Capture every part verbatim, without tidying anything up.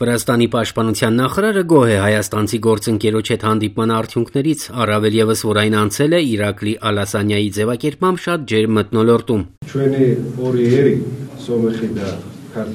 Վրաստանի պաշտպանության նախարարը գոհ է հայաստանցի գործընկերոջ հետ հանդիպման արդյունքներից, առավել ևս, որ այն անցել է Իրակլի Ալասանյայի ձևակերպմամբ շատ ջերմ մթնոլորտում։ Հայ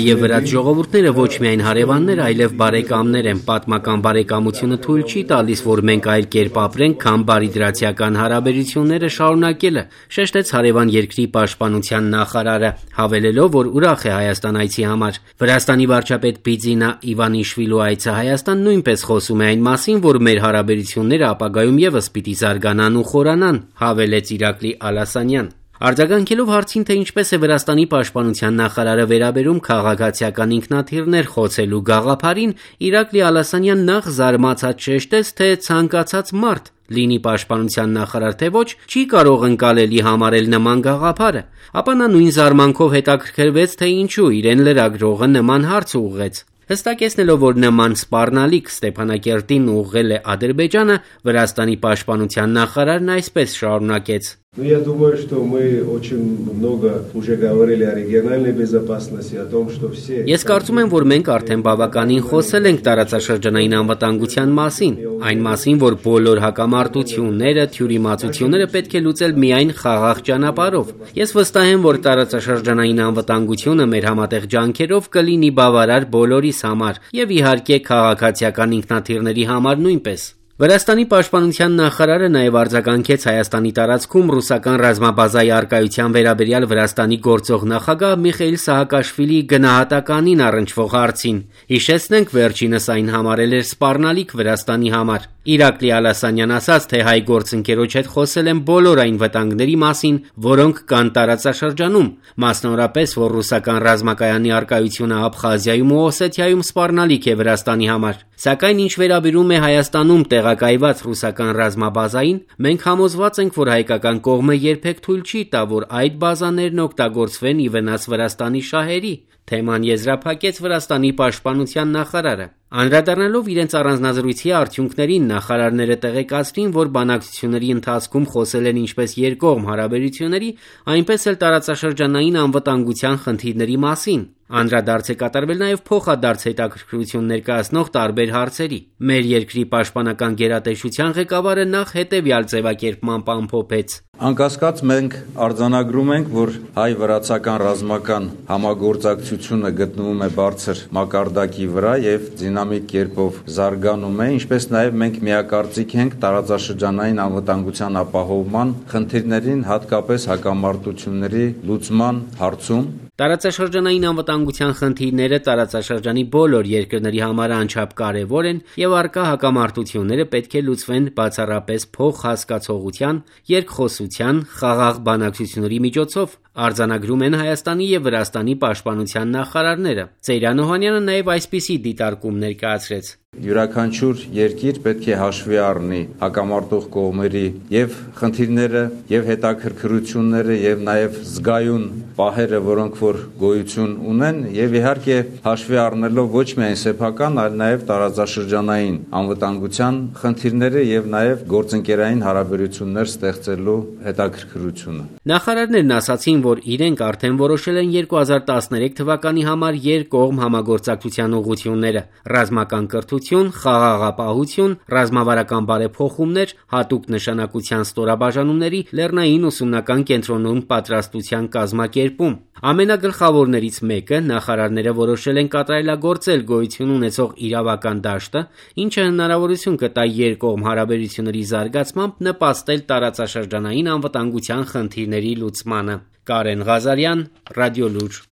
եւ վրաց ժողովուրդները ոչ միայն հարևաններ, այլև բարեկամներ են։ Պատմական բարեկամությունը թույլ չի տալիս, որ մենք այլ կերպ ապրենք, քան բարիդրացիական հարաբերությունները շարունակելը, շեշտեց հարևան երկրի պաշտպանության նախարարը, հավելելով, որ ուրախ է Հայաստան այցի համար։ Վրաստանի վարչապետ Բիձինա Իվանիշվիլու այցը Հայաստան նույնպես խոսում է այն մասին, որ մեր հարաբերությունները ապագայում ևս պիտի զարգանան ու խորանան, հավելեց Իրակլի Ալասանյան։ Արձագանքելով հարցին, թե ինչպես է Վրաստանի պաշտպանության նախարարը վերաբերում քաղաքացիական ինքնաթիռներ խոցելու գաղափարին, Իրակլի Ալասանյան նախ զարմացած շեշտեց, թե ցանկացած մարդ, լինի պաշտպանության նախարար թե ոչ, չի կարող ընկալելի համարել նման գաղափարը, ապա նա նույն զարմանքով հետաքրքրվեց, թե ինչու իրեն լրագրողը նման հարց ուղղեց։ Հստակեցնելով, որ նման սպառնալիք Ստեփանակերտին ուղղել է Ադրբեջանը, Վրաստանի պաշտպանության նախարարն այսպես շարունակեց. Ну, я думаю, что мы очень много уже говорили о региональной безопасности, о том, что все... Ես կարծում եմ, որ մենք արդեն բավականին խոսել ենք տարածաշրջանային անվտանգության մասին, այն մասին, որ բոլոր հակամարտությունները, թյուրիմացությունները պետք է լուծել միայն խաղաղ ճանապարհով։ Ես վստահ եմ, որ տարածաշրջանային անվտանգությունը մեր համատեղ ջանքերով կլինի բավարար բոլորիս համար եւ իհարկե քաղաքացիական ինքնաթիռների համար նույնպես։ Վրաստանի պաշտպանության նախարարը նաև արձագանքեց Հայաստանի տարածքում ռուսական ռազմաբազայի առկայության վերաբերյալ Վրաստանի գործող նախագահ Միխեիլ Սահակաշվիլիի գնահատականին առնչվող հարցին։ Հիշեցնենք, վերջինս այն համարել էր սպառնալիք Վրաստանի համար։ Իրակլի Ալասանյան ասաց, թե հայ գործընկերոջ հետ խոսել են բոլոր այն վտանգների մասին, որոնք կան տարածաշրջանում, մասնավորապես, որ ռուսական ռազմակայանի առկայությունը Աբխազիայում ու Օսեթիայում սպառնալիք է Վրաստանի համար։ Սակայն ինչ վերաբերում է Հայաստանում տեղակայված ռուսական ռազմաբազային, մենք համոզված ենք, որ հայկական կողմը երբեք թույլ չի տա, որ այդ բազաներն օգտագործվեն ի վնաս Վրաստանի շահերի, թեման եզրափակեց Վրաստանի պաշտպանության նախարարը։ Անդրադառնալով իրենց առանձնազրույցի արդյունքներին, նախարարները տեղեկացրին, որ բանակցությունների ընթացքում խոսել են ինչպես երկկողմ հարաբերությունների, այնպես էլ տարածաշրջանային անվտանգության խնդիրների մասին։ Անդրադարձ է կատարվել նաև փոխադարձ հետաքրքրություն ներկայացնող տարբեր հարցերի։ Մեր երկրի պաշտպանական գերատեսչության ղեկավարը նախ հետևյալ ձևակերպմամբ ամփոփեց. Անկասկած մենք արձանագրում ենք, որ հայ-վրացական ռազմական համագործակցությունը գտնվում է բարձր մակարդակի վրա եւ դինամիկ կերպով զարգանում է, ինչպես նաև մենք միակարծիք ենք տարածաշրջանային անվտանգության ապահովման խնդիրներին, հատկապես հակամարտությունների լուծման հարցում։ Տարածաշրջանային անվտանգության խնդիրները տարածաշրջանի բոլոր երկրների համար անչափ կարևոր են եւ առկա հակամարտությունները պետք է լուծվեն բացառապես փոխհասկացողության, երկխոսության, խաղաղ բանակցությունների միջոցով, արձանագրում են Հայաստանի եւ Վրաստանի պաշտպանության նախարարները։ Ծեյրան Օհանյանը նաեւ այսպիսի դիտարկում ներկայացրեց. Յուրաքանչյուր երկիր պետք է հաշվի առնի հակամարտող կողմերի եւ խնդիրները եւ հետաքրքրությունները եւ նաեւ զգայուն պահերը, որոնք որ գոյություն ունեն եւ իհարկե հաշվի առնելով ոչ միայն սեփական, այլ նաեւ տարածաշրջանային անվտանգության խնդիրները եւ նաեւ գործընկերային հարաբերություններ ստեղծելու հետաքրքրությունը։ Նախարարներն ասացին, որ իրենք արդեն որոշել են երկու հազար տասներեք թվականի համար երկկողմ համագործակցության ուղղությունները՝ ռազմական կրթություն, խաղաղապահություն, ռազմավարական բարեփոխումներ, հատուկ նշանակության ստորաբաժանումների լեռնային ուսումնական կենտրոնում պատրաստության կազմակերպում։ Ամենագլխավորներից մեկը նախարարները որոշել են կատարելագործել գոյություն ունեցող իրավական դաշտը, ինչը հնարավորություն կտա երկկողմ հարաբերությունների զարգացմամբ նպաստել տարածաշրջանային անվտանգության խնդիրների լուծմանը։ Կարեն Ղազարյան, Ռադիոլուր։